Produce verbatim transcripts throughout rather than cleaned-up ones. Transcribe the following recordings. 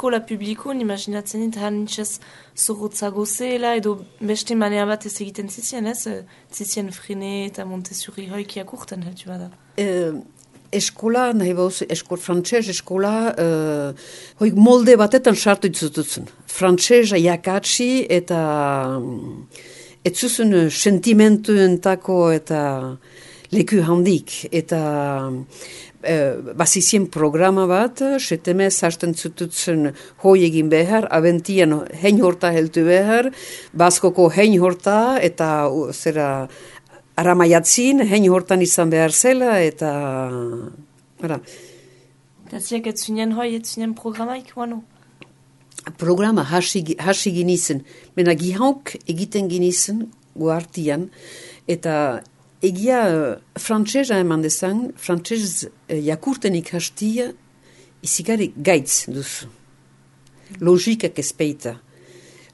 eskola publikoan, imaginatzen dit, han nintxez zorrotzago zela, edo beste manea bat ez egiten zizien, ez? Zizien frene eta Montessori hoikiak urten, heltu bada. Uh, eskola, nahi bauz, eskol, frantxez eskola, uh, hoik molde batetan sartu itzututzen. Frantxeza jakatsi eta ez zuzun sentimentuentako eta leku handik. Eta Uh, bazizien programa bat, setemez hasten zututzen hoi egin behar, abentian hein horta heltu behar, baskoko hein horta, eta uh, zera aramaiatzin, hein hortan izan behar zela, eta... Ara. Eta ziak ez zinen hoi, ez zinen programaik, guano? Programa hasi, hasi ginizen, mena gihauk egiten ginizen, guartian, eta... Egia frantsesa eman dezan, frantsez eh, jakurten ikastia izigari gaitz duzu. Logikak ezpeita.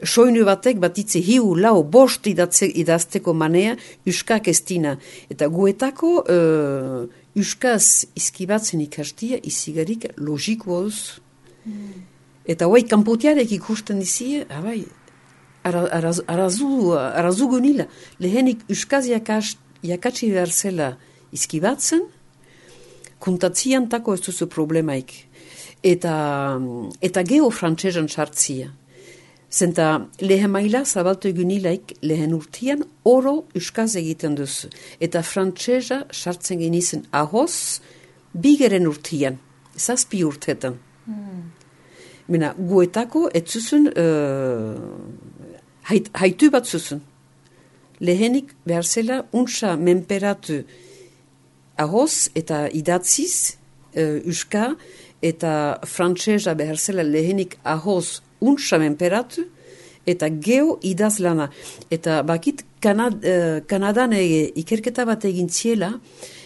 Soinu batek batitze hiu lau bost idatze, idazteko manea uskak ez dina. Eta guetako uh, uskaz izkibatzen ikastia izigarik logikoa duzu. Mm. Eta hoai kanpotiarek ikusten dizie, abai, arazu, arazu, arazu gunila. Lehenik uskaz jakast jakatsi behar zela izkibatzen, kontatzian tako ez duzu problemaik. Eta, eta geho frantsesan sartzia. Zenta lehen maila zabaltu egunilaik lehen urtian oro euskaz egiten duzu. Eta frantsesa sartzen genizen ahoz bigeren urtian, zazpi urtetan. Mm. Mena, guetako ez zuzun uh, hait, haitu bat zuzun. Lehenik behar zela untsa menperatu ahoz eta idatziz uh, uska eta frantsesa behar zela lehenik ahoz untsa menperatu eta geo idazlana. Eta bakit Kanad, uh, Kanadan ege, ikerketa bat egin ziela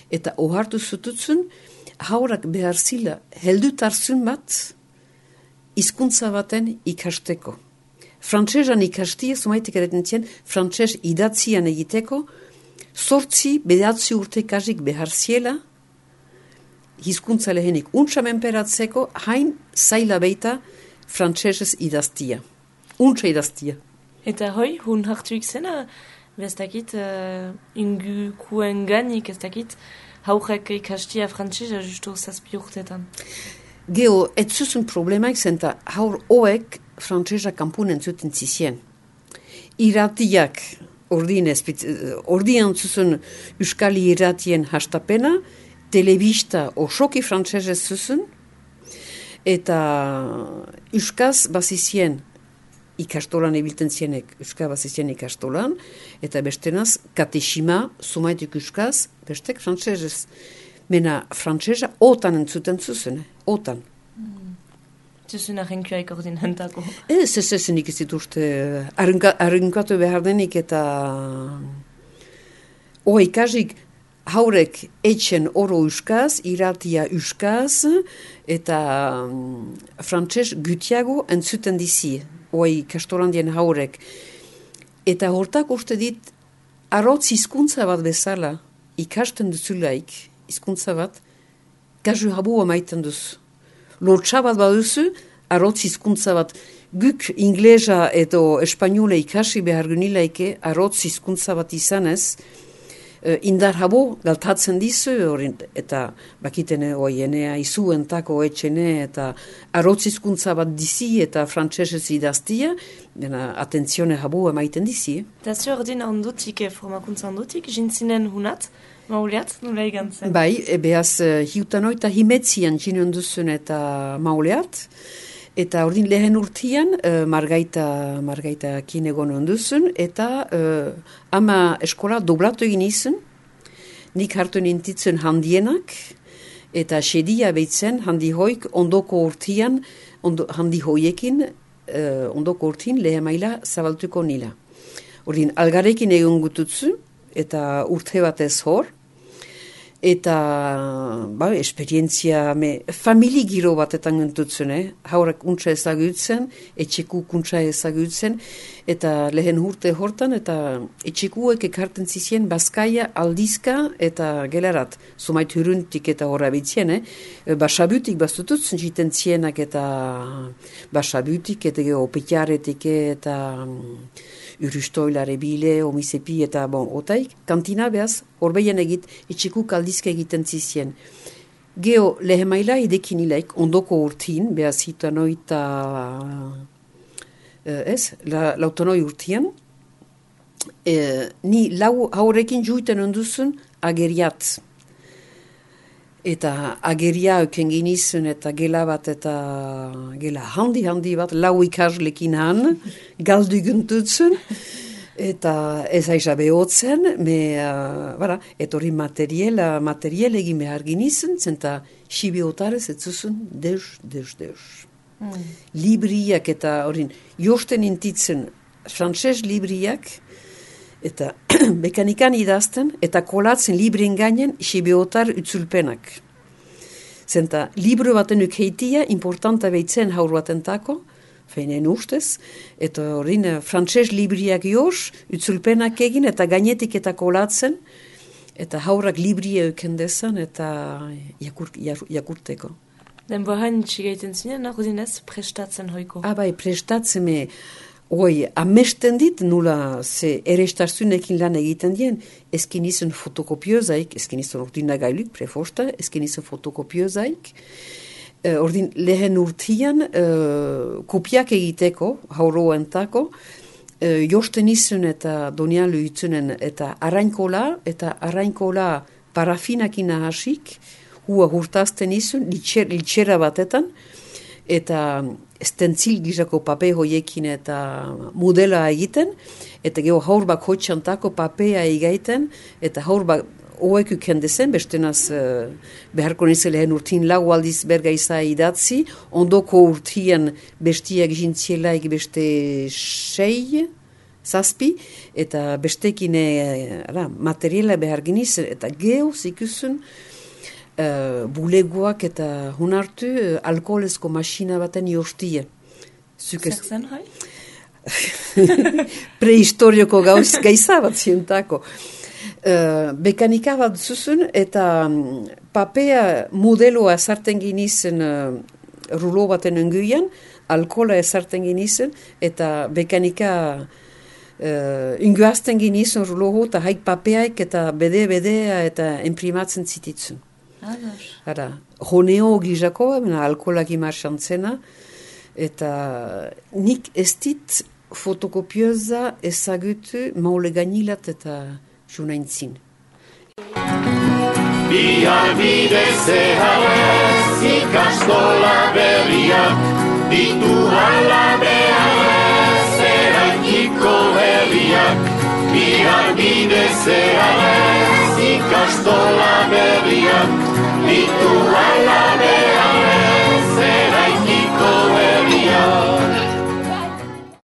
eta ohartu zututzun haurak behar zila heldutarzun bat hizkuntza baten ikasteko. Frantsesan ikastia, zumaitek ereten zien, frantses idatzian egiteko, sortzi, bedatzi urte kasik behar ziela, hizkuntza lehenik untsa menperatzeko, hain zaila beita frantsesez idaztia. Untsa idaztia. Eta hoi, hun hartuik zena, bestakit, uh, ingu kuen ganik, ez dakit, haurek ikastia frantsesa justu zazpi urtetan. Geo, ez zuzun problemaik zenta haur hoek frantsesa kanpunen zuten zizien. Iratiak, ordien, ordian zuzun euskali iratien hastapena, telebista osoki frantsesez zuzun, eta euskaz bazizien ikastolan ebilten zienek, euskaz bazizien ikastolan, eta bestenaz katesima, sumaitik euskaz, bestek frantsesez. Mena frantsesa otan entzuten zuzen, otan. Mm. Zuzun ahenkioaik ordin hentako. Ez, ez, ez, nik ez dituzte arrunkatu behar denik eta hoa ikasik haurek etxen oro euskaz, iratia euskaz, eta um, frantses gutiago entzuten dizi, hoa ikastolandien haurek. Eta hortak uste dit, arrotz hizkuntza bat bezala, ikasten duzulaik, hizkuntza bat, kasu habua maiten duzu. Lortsa bat baduzu, arrotz hizkuntza bat, guk inglesa edo espainola ikasi behar gunilaike, arrotz hizkuntza bat izanez, indar habo galtatzen dizu, eta bakitene oienea izuentako etxene, eta arrotz hizkuntza bat dizi, eta frantsesez idaztia, dena atentzione habo emaiten dizi. Eta zu ordin ondutik, formakuntza ondutik, jintzinen hunat, mauleat, nula igantzen? Bai, behaz, hiutan oita himetzian jinen duzun eta mauleat, eta ordin lehen urtian, uh, margaita, margaita kinegon onduzun, eta uh, ama eskola doblatu egin izun, nik hartu nintitzen handienak, eta sedia behitzen handi hoik ondoko urtian, ondo, handi hoiekin, uh, ondoko urtin lehen maila zabaltuko nila. Ordin, algarekin egon gututzu, eta urte batez hor, eta ba, esperientzia me, famili giro batetan gentutzen, eh? Haurak untsa ezagutzen, etxeku kuntsa ezagutzen, eta lehen urte hortan, eta etxekuek ekarten zizien Bazkaia aldizka eta gelarat, zumait huruntik eta horra bitzien, eh? Basabutik bastututzen jiten zienak eta basabutik eta opetiaretik eta urustoilare bile, omizepi eta bon, otaik, kantina behaz, horbeien egit, etxekuk aldizka egiten zizien. Geo lehemaila idekin ilaik, ondoko urtin, behaz hitanoi eta ez, la, lautanoi urtian, e, ni lau haurekin juiten onduzun ageriat. Eta ageria euken ginizun eta gela bat eta gela handi-handi bat, lau ikaslekin han, galdu guntutzen, eta ez aiza behotzen, me, uh, bara, eta hori materiela, materiel egin behar ginizun, zenta xibiotarez ez zuzun, deus, deus, deus. Mm. Libriak eta horin, josten intitzen, frantses libriak, eta bekanikan idazten, eta kolatzen librien gainen xibiotar utzulpenak. Zenta, libro baten ukeitia, importanta behitzen haur batentako, feinen ustez, eta horrin frantses libriak joz, utzulpenak egin, eta gainetik eta kolatzen, eta haurak libria eukendezan, eta jakur, jakurteko. Den bohain txigaiten zinen, nago dinez, prestatzen hoiko? Ah, bai, prestatzen me... Oi, amesten dit, nula ze erestarzunekin lan egiten dien, ezkin izan fotokopiozaik, ezkin izan ordinagailuk, prefosta, ezkin izan fotokopiozaik, uh, ordin lehen urtian uh, kopiak egiteko, hauroentako, uh, josten izan eta donialu itzunen, eta arainkola, eta arainkola parafinakin ahasik, hua hurtazten izan, litxer, litxera batetan, eta stentzil gizako pape hoiekin eta modela egiten, eta geho haur bak hotxantako papea egaiten, eta haur bak oek ukendezen, bestenaz uh, beharko nizel lehen urtin lau aldiz bergaiza idatzi, ondoko urtian bestiak jintzielaik beste sei, zazpi, eta bestekin uh, materiala behar ginizen, eta geho zikusen, Uh, bulegoak eta hunartu uh, alkoholezko masina baten jostie. Zer zen, hai? Prehistorioko gauz gaiza bat zientako. Uh, bekanika bat zuzun eta um, papea modeloa ezarten ginizen uh, rulo baten enguian, alkohola ezarten ginizen, eta bekanika uh, inguazten ginizen rulo eta haik papeaik eta bede-bedea eta imprimatzen zititzen. Ara, honeo gizako, alkoholak imarxantzena, eta nik ez dit fotokopioza ezagutu maule gainilat eta junaintzin. Bihar bide zeharez ikastola berriak, ditu ala beharez eraikiko herriak. Bihar bide zeharez ikastola berriak, ditu